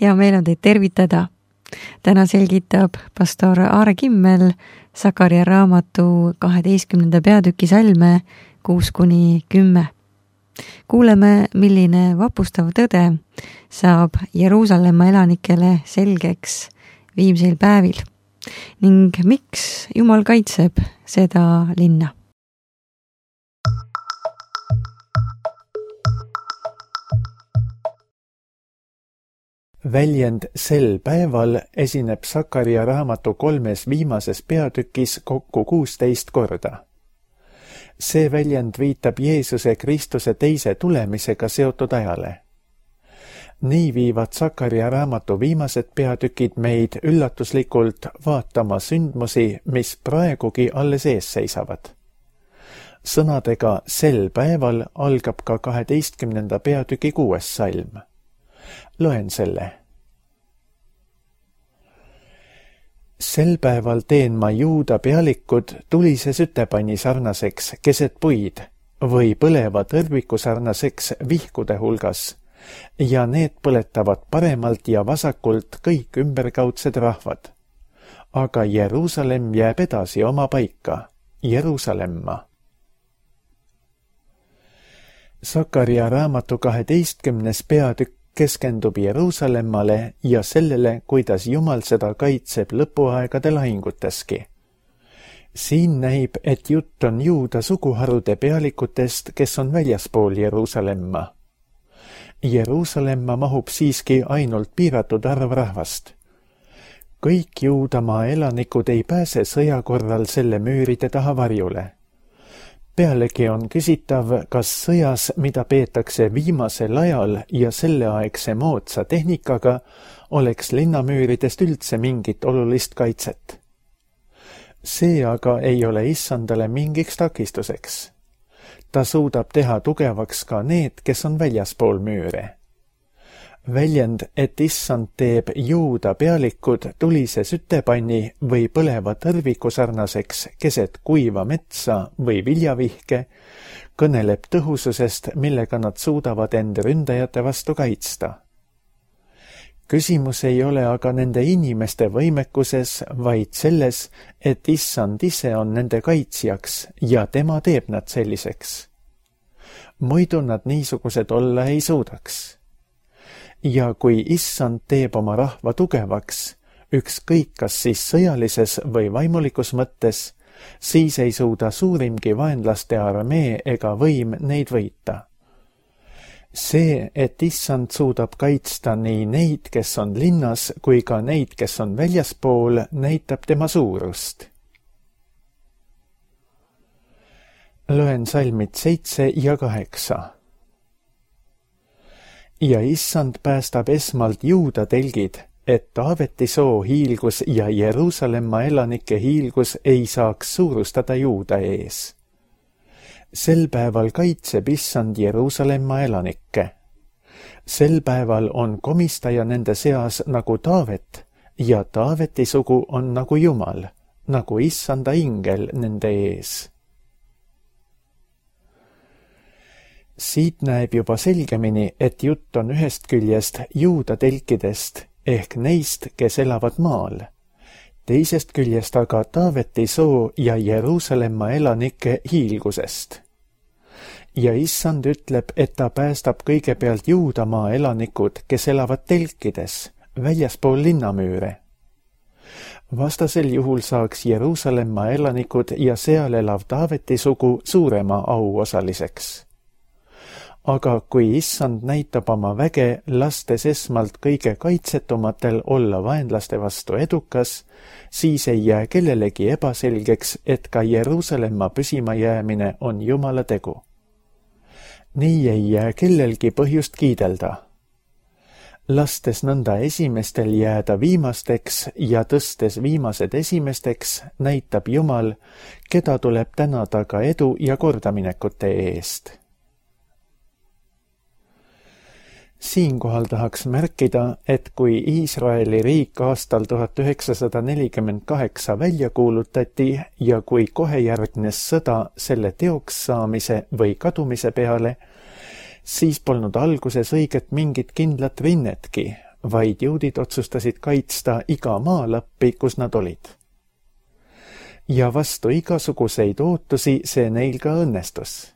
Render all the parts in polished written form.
hea meel on teid tervitada. Täna selgitab pastor Aare Kimmel Sakaria raamatu 12. peatüki salme 6-10. Kuuleme, milline vapustav tõde saab Jeruusalemma elanikele selgeks viimseil päevil ning miks Jumal kaitseb seda linna. Väljend sel päeval esineb Sakaria raamatu 3 viimases peatükis kokku 16 korda. See väljend viitab Jeesuse Kristuse teise tulemisega seotud ajale. Nii viivad Sakaria raamatu viimased peatükid meid üllatuslikult vaatama sündmusi, mis praegugi alles ees seisavad. Sõnadega sel päeval algab ka 12. peatüki 6. salm. Loen selle. Sel päeval teen ma Juuda pealikud tulise sütepanni sarnaseks keset puid või põleva tõrviku sarnaseks vihkude hulgas ja need põletavad paremalt ja vasakult kõik ümberkaudsed rahvad. Aga Jeruusalemm jääb edasi oma paika, Jeruusalemma. Sakaria raamatu 12. peatükk keskendub Jeruusalemmale ja sellele, kuidas Jumal seda kaitseb lõpuaegade lahinguteski. Siin näib, et jutt on Juuda suguharude pealikutest, kes on väljaspool Jeruusalemma. Jeruusalemma mahub siiski ainult piiratud arv rahvast. Kõik Juudamaa elanikud ei pääse sõja korral selle müüride taha varjule. Pealegi on küsitav, kas sõjas, mida peetakse viimasel ajal ja selleaegse moodsa tehnikaga, oleks linnamüüridest üldse mingit olulist kaitset. See aga ei ole Issandale mingiks takistuseks. Ta suudab teha tugevaks ka need, kes on väljaspool müüre. Väljend, et Issand teeb Juuda pealikud tulise sütepanni või põleva tõrviku sarnaseks keset kuiva metsa või viljavihke, kõneleb tõhususest, millega nad suudavad end ründajate vastu kaitsta. Küsimus ei ole aga nende inimeste võimekuses, vaid selles, et Issand ise on nende kaitsjaks ja tema teeb nad selliseks. Muidu nad niisugused olla ei suudaks. Ja kui Issand teeb oma rahva tugevaks, ükskõik kas siis sõjalises või vaimulikus mõttes, siis ei suuda suurimgi vaenlaste armee ega võim neid võita. See, et Issand suudab kaitsta nii neid, kes on linnas, kui ka neid, kes on väljaspool, näitab tema suurust. Loen salmid 7 ja 8. Ja Issand päästab esmalt Juuda telgid, et Taaveti soo hiilgus ja Jeruusalemma elanike hiilgus ei saaks suurustada Juuda ees. Sel päeval kaitseb Issand Jeruusalemma elanikke. Sel päeval on komistaja nende seas nagu Taavet ja Taaveti sugu on nagu Jumal, nagu Issanda ingel nende ees. Siit näeb juba selgemini, et jutt on ühest küljest Juuda telkidest ehk neist, kes elavad maal. Teisest küljest aga Taaveti soo ja Jeruusalemma elanike hiilgusest. Ja Issand ütleb, et ta päästab kõigepealt Juudamaa elanikud, kes elavad telkides, väljaspool linnamüüre. Vastasel juhul saaks Jeruusalemma elanikud ja seal elav Taaveti sugu suurema auosaliseks. Aga kui Issand näitab oma väge, lastes esmalt kõige kaitsetumatel olla vaenlaste vastu edukas, siis ei jää kellelegi ebaselgeks, et ka Jeruusalemma püsima jäämine on Jumala tegu. Nii ei jää kellelgi põhjust kiidelda. Lastes nõnda esimestel jääda viimasteks ja tõstes viimased esimesteks, näitab Jumal, keda tuleb tänada ka edu ja kordaminekute eest. Siinkohal tahaks märkida, et kui Iisraeli riik aastal 1948 välja kuulutati ja kui kohe järgnes sõda selle teoks saamise või kadumise peale, siis polnud alguses õiget mingit kindlat rinnetki, vaid juudid otsustasid kaitsta iga maalappi, kus nad olid. Ja vastu igasuguseid ootusi see neil ka õnnestus.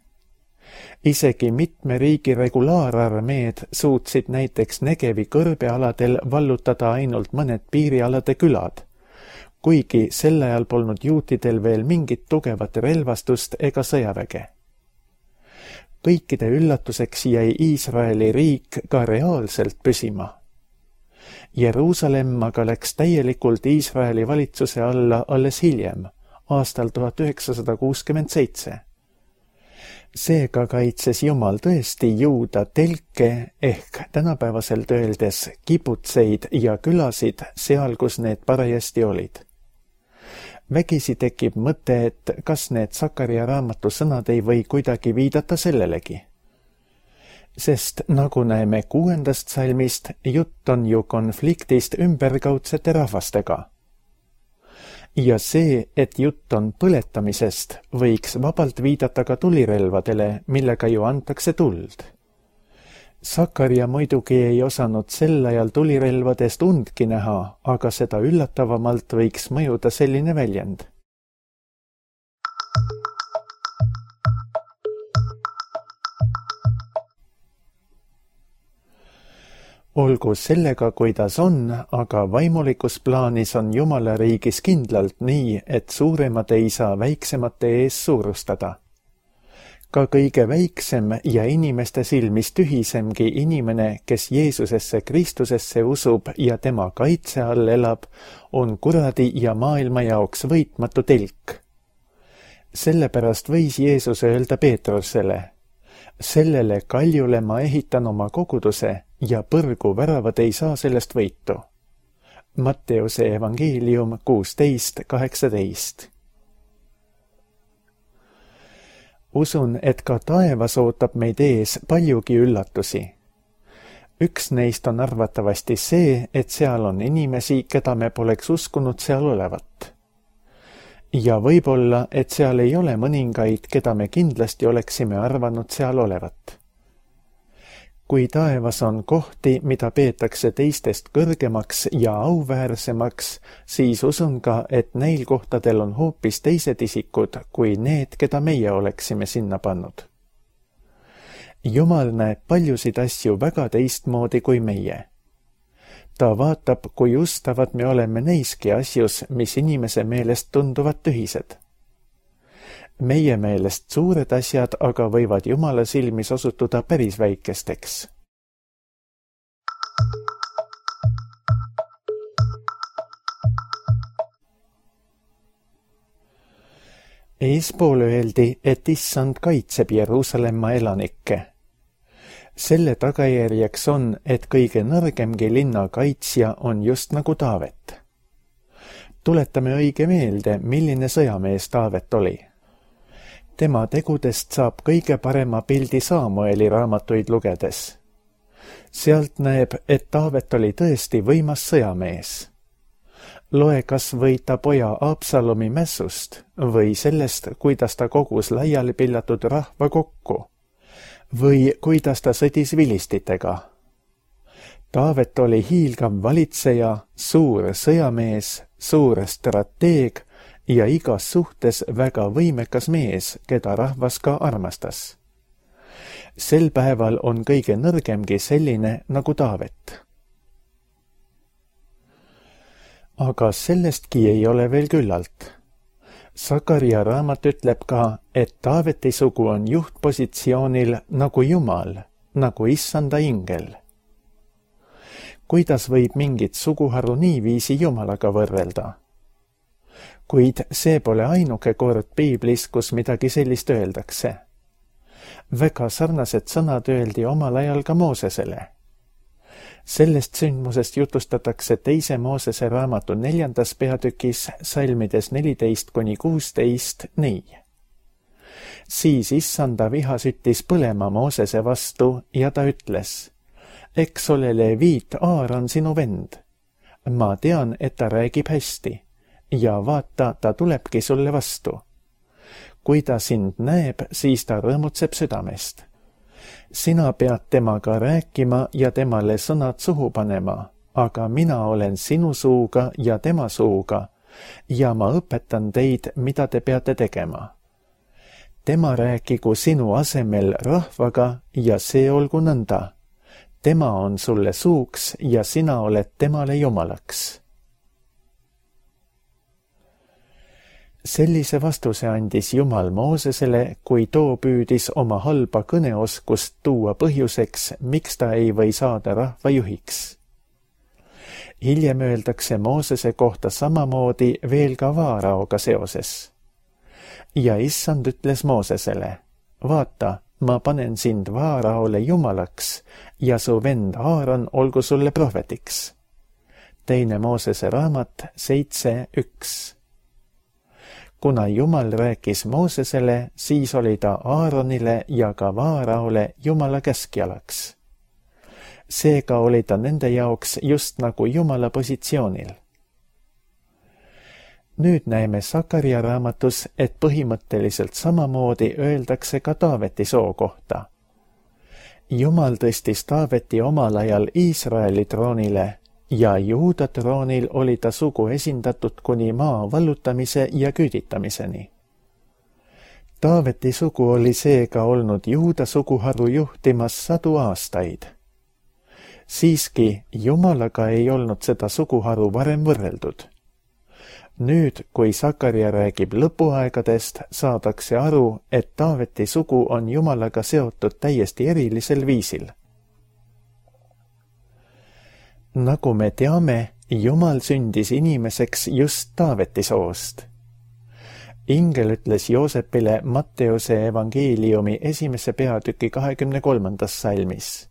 Isegi mitme riigi regulaararmeed suutsid näiteks Negevi kõrbealadel vallutada ainult mõned piirialade külad, kuigi sel ajal polnud juutidel veel mingit tugevat relvastust ega sõjaväge. Kõikide üllatuseks jäi Iisraeli riik ka reaalselt püsima. Jeruusalemm aga läks täielikult Iisraeli valitsuse alla alles hiljem, aastal 1967. Seega kaitses Jumal tõesti juuda telke ehk tänapäevaselt öeldes kibutseid ja külasid seal, kus need parajasti olid. Vägisi tekib mõte, et kas need Sakaria raamatu sõnad ei või kuidagi viidata sellelegi. Sest nagu näeme 6. salmist, jutt on ju konfliktist ümberkaudsete rahvastega. Ja see, et jutt on põletamisest, võiks vabalt viidata ka tulirelvadele, millega ju antakse tuld. Sakaria muidugi ei osanud sel ajal tulirelvadest undki näha, aga seda üllatavamalt võiks mõjuda selline väljend. Olgu sellega, kuidas on, aga vaimulikus plaanis on Jumala riigis kindlalt nii, et suuremad ei saa väiksemate ees suurustada. Ka kõige väiksem ja inimeste silmis tühisemgi inimene, kes Jeesusesse Kristusesse usub ja tema kaitse all elab, on kuradi ja maailma jaoks võitmatu telk. Sellepärast võis Jeesus öelda Peetrusele: sellele kaljule ma ehitan oma koguduse ja põrgu väravad ei saa sellest võitu. Matteuse evangeelium 16:18. Usun, et ka taevas ootab meid ees paljugi üllatusi. Üks neist on arvatavasti see, et seal on inimesi, keda me poleks uskunud seal olevat. Ja võib-olla, et seal ei ole mõningaid, keda me kindlasti oleksime arvanud seal olevat. Kui taevas on kohti, mida peetakse teistest kõrgemaks ja auväärsemaks, siis usun ka, et neil kohtadel on hoopis teised isikud kui need, keda meie oleksime sinna pannud. Jumal näeb paljusid asju väga teistmoodi kui meie. Ta vaatab, kui ustavad me oleme neiski asjus, mis inimese meelest tunduvad tühised. Meie meelest suured asjad aga võivad Jumala silmis osutuda päris väikesteks. Eespool öeldi, et Issand kaitseb Jeruusalemma elanikke. Selle tagajärjeks on, et kõige nõrgemgi linna kaitsja on just nagu Taavet. Tuletame õige meelde, milline sõjamees Taavet oli. Tema tegudest saab kõige parema pildi Saamueli raamatuid lugedes. Sealt näeb, et Taavet oli tõesti võimas sõjamees. Loe kas või ta poja Absalomi mässust või sellest, kuidas ta kogus laiali pillatud rahva kokku või kuidas ta sõdis vilistitega. Taavet oli hiilgav valitseja, suur sõjamees, suur strateeg ja igas suhtes väga võimekas mees, keda rahvas ka armastas. Sel päeval on kõige nõrgemgi selline nagu Taavet. Aga sellestki ei ole veel küllalt. Sakaria raamat ütleb ka, et Taaveti sugu on juhtpositsioonil nagu Jumal, nagu Issanda ingel. Kuidas võib mingit suguharu niiviisi Jumalaga võrrelda? Kuid see pole ainuke kord piiblis, kus midagi sellist öeldakse. Väga sarnased sõnad öeldi omal ajal ka Moosesele. Sellest sündmusest jutustatakse 2. Moosese raamatu 4. peatükis salmides 14-16 nii. Siis Issanda viha süttis põlema Moosese vastu ja ta ütles: eks ole Leviit Aaron sinu vend. Ma tean, et ta räägib hästi ja vaata, ta tulebki sulle vastu. Kui ta sind näeb, siis ta rõõmutseb südamest. Sina pead temaga rääkima ja temale sõnad suhu panema aga mina olen sinu suuga ja tema suuga ja ma õpetan teid, mida te peate tegema. Tema rääkigu sinu asemel rahvaga ja see olgu nõnda. Tema on sulle suuks ja sina oled temale jumalaks. Sellise vastuse andis Jumal Moosesele, kui too püüdis oma halba kõneoskust tuua põhjuseks, miks ta ei või saada rahva juhiks. Hiljem öeldakse Moosese kohta samamoodi veel ka Vaaraoga seoses. Ja issand ütles Moosesele, vaata, ma panen sind Vaaraole jumalaks ja su vend Aaron olgu sulle prohvetiks. 2 Moosese raamat 7:1. Kuna Jumal rääkis Moosesele, siis oli ta Aaronile ja ka Vaaraole Jumala käskjalaks. Seega oli ta nende jaoks just nagu Jumala positsioonil. Nüüd näeme Sakaria raamatus, et põhimõtteliselt samamoodi öeldakse ka Taaveti soo kohta. Jumal tõstis Taaveti omal ajal Iisraeli troonile ja Juuda troonil oli ta sugu esindatud kuni maa vallutamise ja küüditamiseni. Taaveti sugu oli seega olnud Juuda suguharu juhtimas 100 aastaid. Siiski Jumalaga ei olnud seda suguharu varem võrreldud. Nüüd, kui Sakaria räägib lõpuaegadest, saadakse aru, et Taaveti sugu on Jumalaga seotud täiesti erilisel viisil. Nagu me teame, Jumal sündis inimeseks just Taaveti soost. Ingel ütles Joosepile Matteuse evangeeliumi 1. peatüki 23. salmis.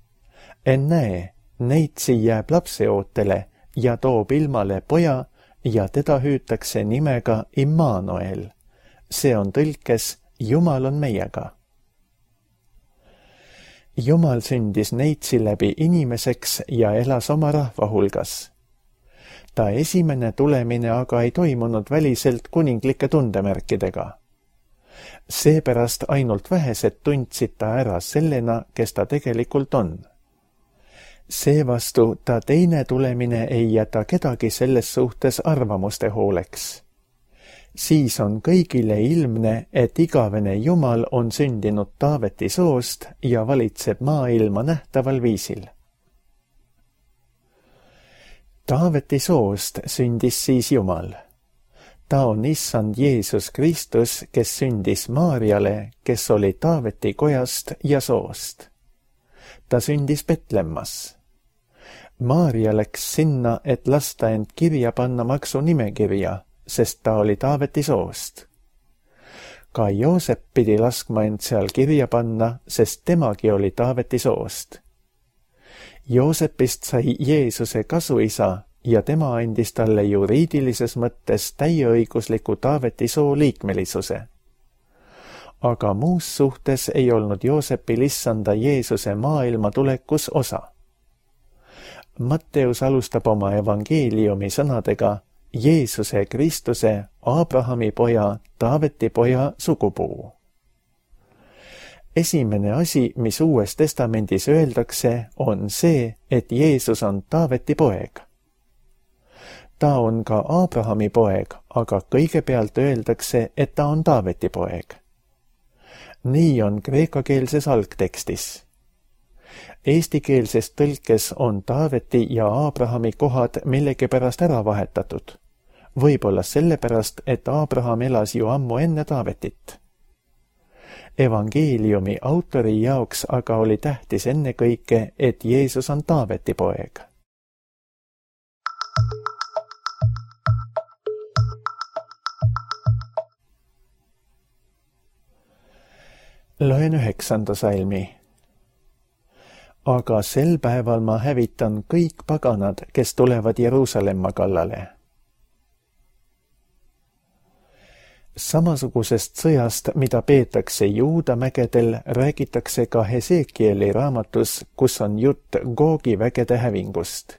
Ennäe, neitsi jääb lapseootele ja toob ilmale poja ja teda hüütakse nimega Immanuel. See on tõlkes Jumal on meiega. Jumal sündis neitsi läbi inimeseks ja elas oma rahva hulgas. Ta esimene tulemine aga ei toimunud väliselt kuninglike tundemärkidega. Seepärast ainult vähesed tundsid ta ära sellena, kes ta tegelikult on. Seevastu ta teine tulemine ei jäta kedagi selles suhtes arvamuste hooleks. Siis on kõigile ilmne, et igavene Jumal on sündinud Taaveti soost ja valitseb maailma nähtaval viisil. Taaveti soost sündis siis Jumal. Ta on issand Jeesus Kristus, kes sündis Maarjale, kes oli Taaveti kojast ja soost. Ta sündis Betlemmas. Maarja läks sinna, et lasta end kirja panna maksunimekirja, sest ta oli Taaveti soost. Ka Joosep pidi laskma end seal kirja panna, sest temagi oli Taaveti soost. Joosepist sai Jeesuse kasuisa ja tema andis talle juriidilises mõttes täieõigusliku Taaveti soo liikmelisuse. Aga muus suhtes ei olnud Joosepil issanda Jeesuse maailma tulekus osa. Matteus alustab oma evangeeliumi sõnadega Jeesuse Kristuse, Abrahami poja, Taaveti poja sugupuu. Esimene asi, mis Uues Testamendis öeldakse, on see, et Jeesus on Taaveti poeg. Ta on ka Abrahami poeg, aga kõigepealt öeldakse, et ta on Taaveti poeg. Nii on kreekakeelses algtekstis. Eestikeelses tõlkes on Taaveti ja Abrahami kohad millegipärast ära vahetatud. Võib-olla sellepärast, et Abraham elas ju ammu enne Taavetit. Evangeeliumi autori jaoks aga oli tähtis ennekõike, et Jeesus on Taaveti poeg. Loen 9. salmi. Aga sel päeval ma hävitan kõik paganad, kes tulevad Jeruusalemma kallale. Samasugusest sõjast, mida peetakse Juuda mägedel, räägitakse ka Hesekieli raamatus, kus on jutt Googi vägede hävingust.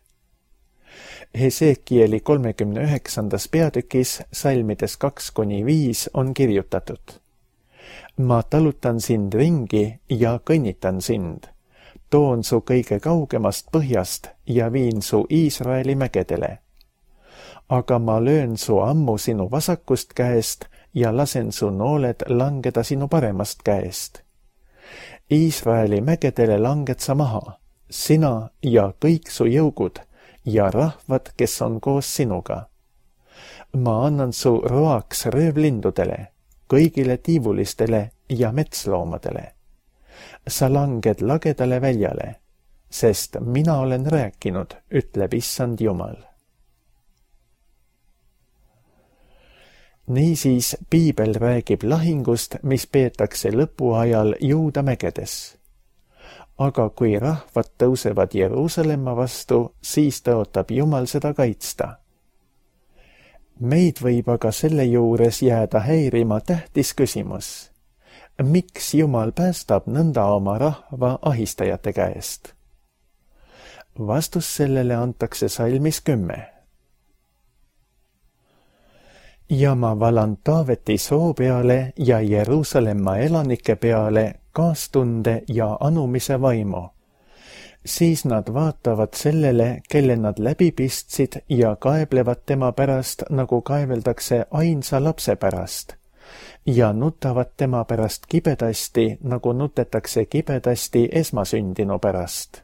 Hesekieli 39. peatükis salmides 2-5 on kirjutatud. Ma talutan sind ringi ja kõnnitan sind. toon su kõige kaugemast põhjast ja viin su Iisraeli mägedele. Aga ma löön su ammu sinu vasakust käest ja lasen su nooled langeda sinu paremast käest. Iisraeli mägedele langed sa maha, sina ja kõik su jõugud ja rahvad, kes on koos sinuga. Ma annan su roaks röövlindudele, kõigile tiivulistele ja metsloomadele. Sa langed lagedale väljale, sest mina olen rääkinud, ütleb Issand Jumal. Niisiis piibel räägib lahingust, mis peetakse lõpuajal Juuda mägedes. Aga kui rahvad tõusevad Jeruusalemma vastu, siis tõotab Jumal seda kaitsta. Meid võib aga selle juures jääda häirima tähtis küsimus. Miks Jumal päästab nõnda oma rahva ahistajate käest? Vastus sellele antakse salmis 10. Ja ma valan Taaveti soo peale ja Jeruusalemma elanike peale kaastunde ja anumise vaimu. Siis nad vaatavad sellele, kelle nad läbi pistsid ja kaeblevad tema pärast, nagu kaeveldakse ainsa lapse pärast. Ja nutavad tema pärast kibedasti, nagu nutetakse kibedasti esmasündinu pärast.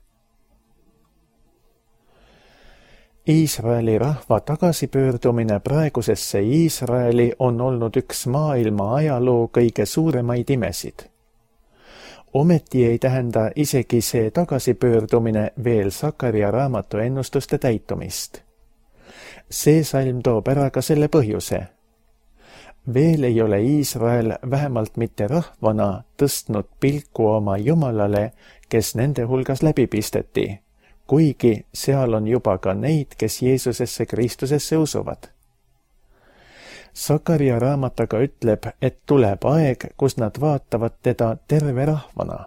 Iisraeli rahva tagasipöördumine praegusesse Iisraeli on olnud üks maailma ajaloo kõige suuremaid imesid. Ometi ei tähenda isegi see tagasipöördumine veel Sakaria raamatu ennustuste täitumist. See salm toob ära ka selle põhjuse. Veel ei ole Iisrael vähemalt mitte rahvana tõstnud pilku oma Jumalale, kes nende hulgas läbi pisteti, kuigi seal on juba ka neid, kes Jeesusesse Kristusesse usuvad. Sakaria raamat aga ütleb, et tuleb aeg, kus nad vaatavad teda terve rahvana.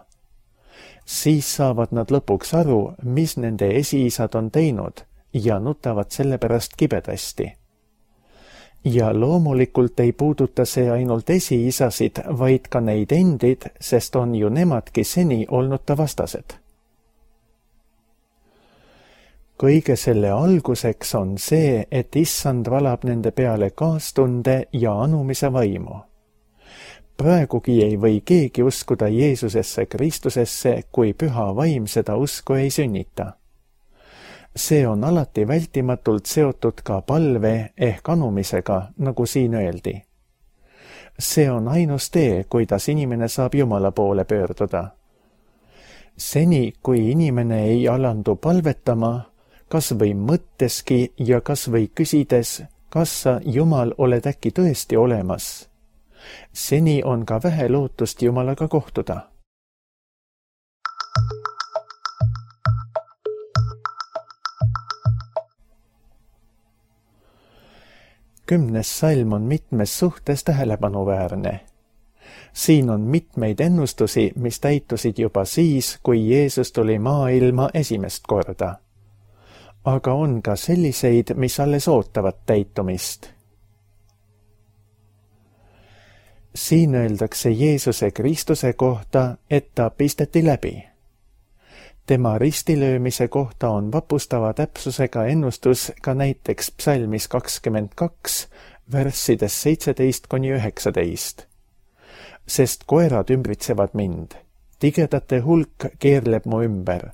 Siis saavad nad lõpuks aru, mis nende esiisad on teinud ja nutavad selle pärast kibedasti. Ja loomulikult ei puuduta see ainult esiisasid, vaid ka neid endid, sest on ju nemadki seni olnud ta vastased. Kõige selle alguseks on see, et Issand valab nende peale kaastunde ja anumise vaimu. Praegugi ei või keegi uskuda Jeesusesse Kristusesse, kui püha vaim seda usku ei sünnita. See on alati vältimatult seotud ka palve ehk anumisega, nagu siin öeldi. See on ainus tee, kuidas inimene saab Jumala poole pöörduda. Seni, kui inimene ei alandu palvetama, kas või mõtteski ja kas või küsides, kas sa, Jumal, oled äkki tõesti olemas. Seni on ka vähe lootust Jumalaga kohtuda. Kümnes salm on mitmes suhtes tähelepanuväärne. Siin on mitmeid ennustusi, mis täitusid juba siis, kui Jeesus tuli maailma esimest korda. Aga on ka selliseid, mis alles ootavad täitumist. Siin öeldakse Jeesuse Kristuse kohta, et ta pisteti läbi. Tema ristilöömise kohta on vapustava täpsusega ennustus ka näiteks psalmis 22, verssides 17–19. Sest koerad ümbritsevad mind, tigedate hulk keerleb mu ümber.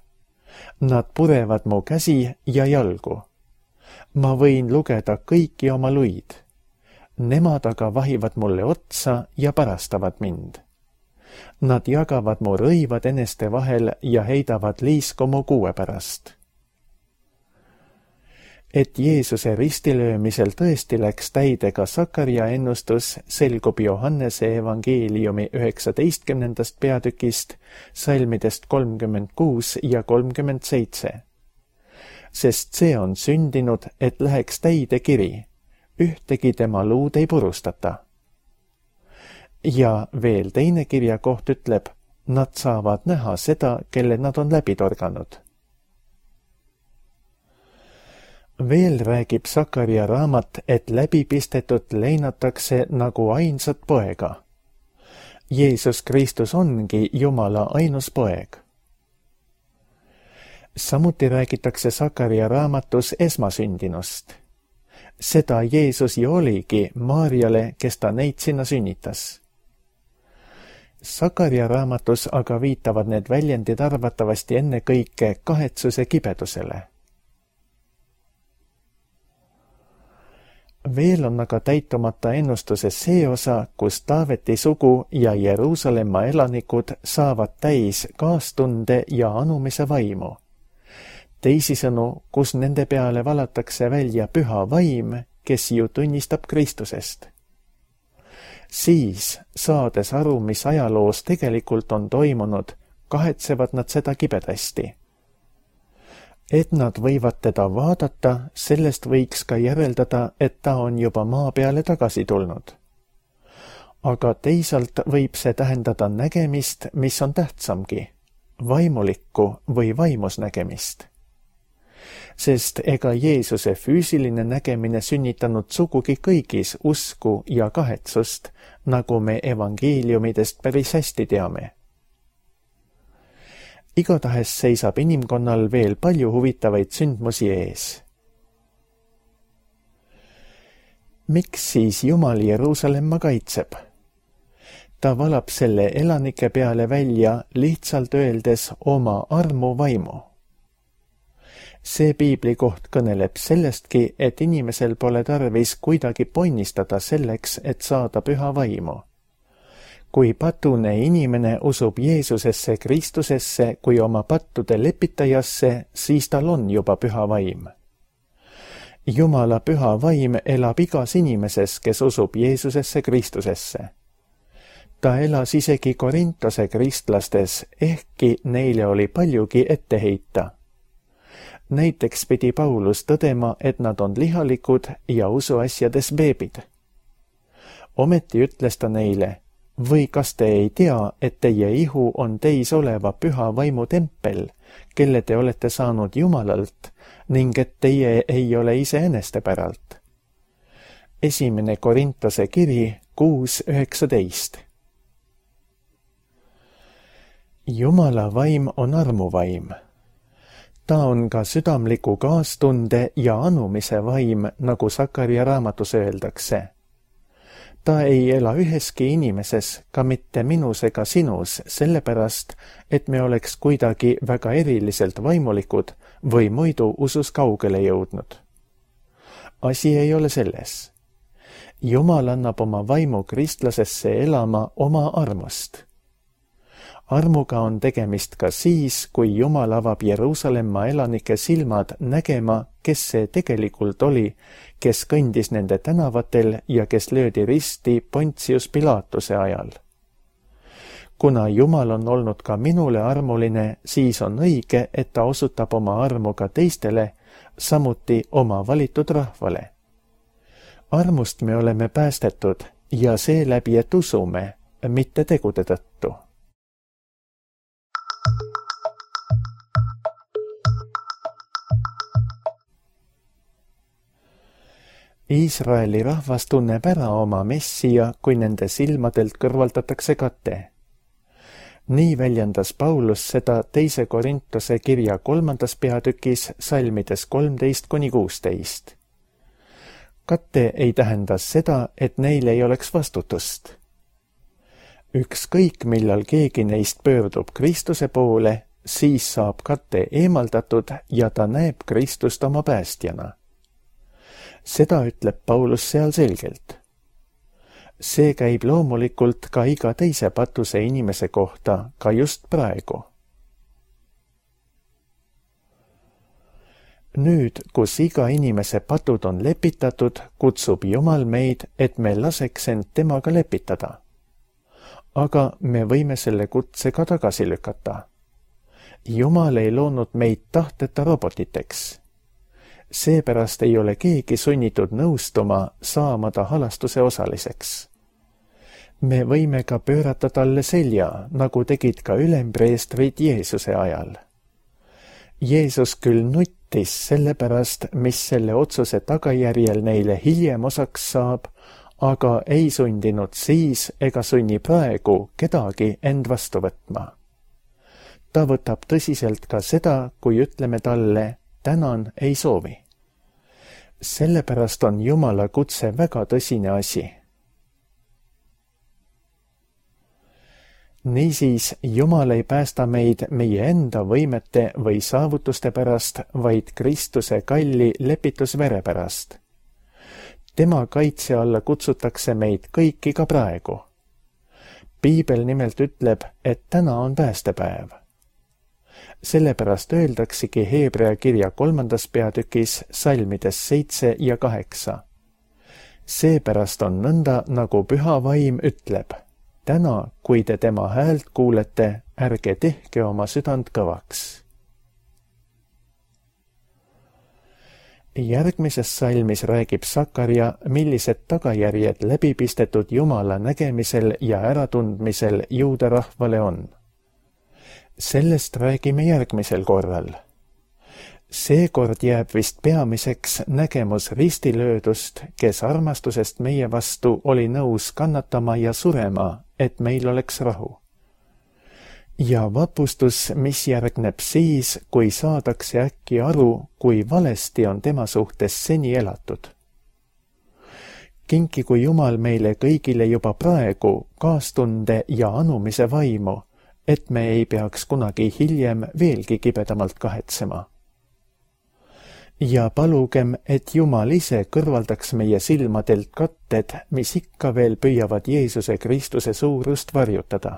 Nad purevad mu käsi ja jalgu. Ma võin lugeda kõiki oma luid. Nemad aga vahivad mulle otsa ja parastavad mind. Nad jagavad mu rõivad eneste vahel ja heidavad liisku mu kuue pärast. Et Jeesuse ristilöömisel tõesti läks täide ka Sakaria ennustus, selgub Johannese evangeeliumi 19. peatükist, salmidest 36 ja 37. Sest see on sündinud, et läheks täide kiri, ühtegi tema luud ei purustata. Ja veel teine kirjakoht ütleb, nad saavad näha seda, kelle nad on läbi torganud. Veel räägib Sakaria raamat, et läbipistetut leinatakse nagu ainsat poega. Jeesus Kristus ongi Jumala ainus poeg. Samuti räägitakse Sakaria raamatus esmasündinust. Seda Jeesus ju oligi Maarjale, kes ta neid sinna sünnitas. Sakaria raamatus aga viitavad need väljendid arvatavasti ennekõike kahetsuse kibedusele. Veel on aga täitumata ennustuses see osa, kus Taaveti sugu ja Jeruusalemma elanikud saavad täis kaastunde ja anumise vaimu. Teisisõnu, kus nende peale valatakse välja püha vaim, kes ju tunnistab Kristusest. Siis, saades aru, mis ajaloos tegelikult on toimunud, kahetsevad nad seda kibedasti. Et nad võivad teda vaadata, sellest võiks ka järeldada, et ta on juba maa peale tagasi tulnud. Aga teisalt võib see tähendada nägemist, mis on tähtsamgi, vaimulikku või vaimusnägemist. Sest ega Jeesuse füüsiline nägemine sünnitanud sugugi kõigis usku ja kahetsust, nagu me evangeeliumidest päris hästi teame. Igatahes seisab inimkonnal veel palju huvitavaid sündmusi ees. Miks siis Jumal Jeruusalemma kaitseb? Ta valab selle elanike peale välja lihtsalt öeldes oma armu vaimu. See piibli koht kõneleb sellestki, et inimesel pole tarvis kuidagi ponnistada selleks, et saada püha vaimu. Kui patune inimene usub Jeesusesse Kristusesse kui oma pattude lepitajasse, siis tal on juba püha vaim. Jumala püha vaim elab igas inimeses, kes usub Jeesusesse Kristusesse. Ta elas isegi Korintose kristlastes, ehkki neile oli paljugi ette heita. Näiteks pidi Paulus tõdema, et nad on lihalikud ja usuasjades beebid. Ometi ütles ta neile, või kas te ei tea, et teie ihu on teis oleva püha vaimu tempel, kelle te olete saanud Jumalalt, ning et teie ei ole iseeneste päralt. 1. Korintose kiri 6:19. Jumala vaim on armuvaim. Ta on ka südamliku kaastunde ja anumise vaim, nagu Sakaria raamatus öeldakse. Ta ei ela üheski inimeses, ka mitte minus ega sinus, sellepärast, et me oleks kuidagi väga eriliselt vaimulikud või muidu usus kaugele jõudnud. Asi ei ole selles. Jumal annab oma vaimu kristlasesse elama oma armust. Armuga on tegemist ka siis, kui Jumal avab Jeruusalemma elanike silmad nägema, kes see tegelikult oli, kes kõndis nende tänavatel ja kes löödi risti Pontius Pilatuse ajal. Kuna Jumal on olnud ka minule armuline, siis on õige, et ta osutab oma armu ka teistele, samuti oma valitud rahvale. Armust me oleme päästetud ja seeläbi, et usume, mitte tegude tõttu. Iisraeli rahvas tunneb ära oma Messia, kui nende silmadelt kõrvaldatakse kate. Nii väljendas Paulus seda 2. Korintose kirja 3. peatükis salmides 13-16. Kate ei tähenda seda, et neil ei oleks vastutust. Ükskõik, millal keegi neist pöördub Kristuse poole, siis saab kate eemaldatud ja ta näeb Kristust oma päästjana. Seda ütleb Paulus seal selgelt. See käib loomulikult ka iga teise patuse inimese kohta, ka just praegu. Nüüd, kus iga inimese patud on lepitatud, kutsub Jumal meid, et me laseks end temaga lepitada. Aga me võime selle kutse ka tagasi lükata. Jumal ei loonud meid tahteta robotiteks. Seepärast ei ole keegi sunnitud nõustuma saama ta halastuse osaliseks. Me võime ka pöörata talle selja, nagu tegid ka ülempreestrid Jeesuse ajal. Jeesus küll nuttis selle pärast, mis selle otsuse tagajärjel neile hiljem osaks saab, aga ei sundinud siis ega sunni praegu kedagi end vastu võtma. ta võtab tõsiselt ka seda, kui ütleme talle, tänan ei soovi. Sellepärast on Jumala kutse väga tõsine asi. Niisiis, Jumal ei päästa meid meie enda võimete või saavutuste pärast, vaid Kristuse kalli lepitusvere pärast. Tema kaitse alla kutsutakse meid kõiki ka praegu. Piibel nimelt ütleb, et täna on päästepäev. Sellepärast öeldaksegi Hebrea kirja 3. peatükis salmides 7 ja 8. Seepärast on nõnda, nagu Püha Vaim ütleb. Täna, kui te tema häält kuulete, ärge tehke oma südant kõvaks. Järgmises salmis räägib Sakarja, millised tagajärjed läbipistetud Jumala nägemisel ja äratundmisel juuda rahvale on. Sellest räägime järgmisel korral. Seekord jääb vist peamiseks nägemus ristilöödust, kes armastusest meie vastu oli nõus kannatama ja surema, et meil oleks rahu. Ja vapustus, mis järgneb siis, kui saadakse äkki aru, kui valesti on tema suhtes seni elatud. Kinkigu Jumal meile kõigile juba praegu kaastunde ja anumise vaimu, et me ei peaks kunagi hiljem veelgi kibedamalt kahetsema. Ja palugem, et Jumal ise kõrvaldaks meie silmadelt katted, mis ikka veel püüavad Jeesuse Kristuse suurust varjutada.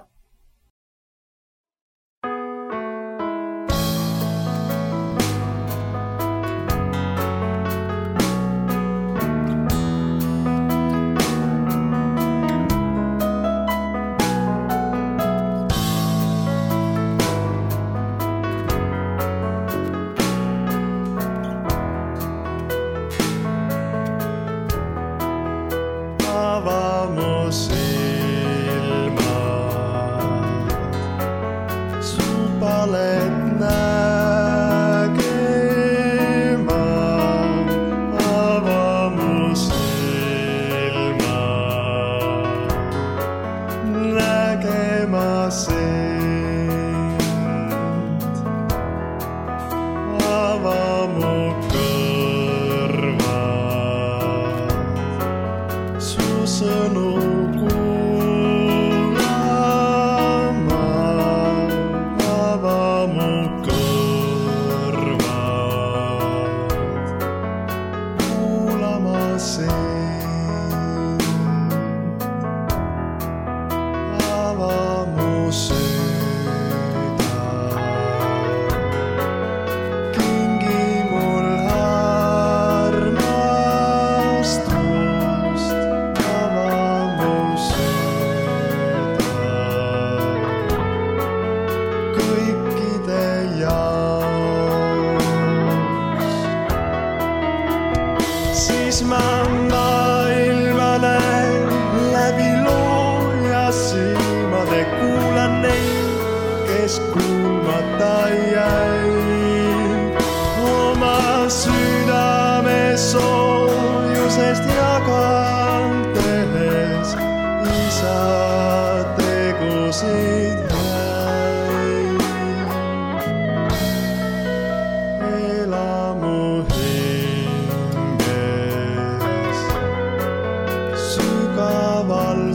Sügaval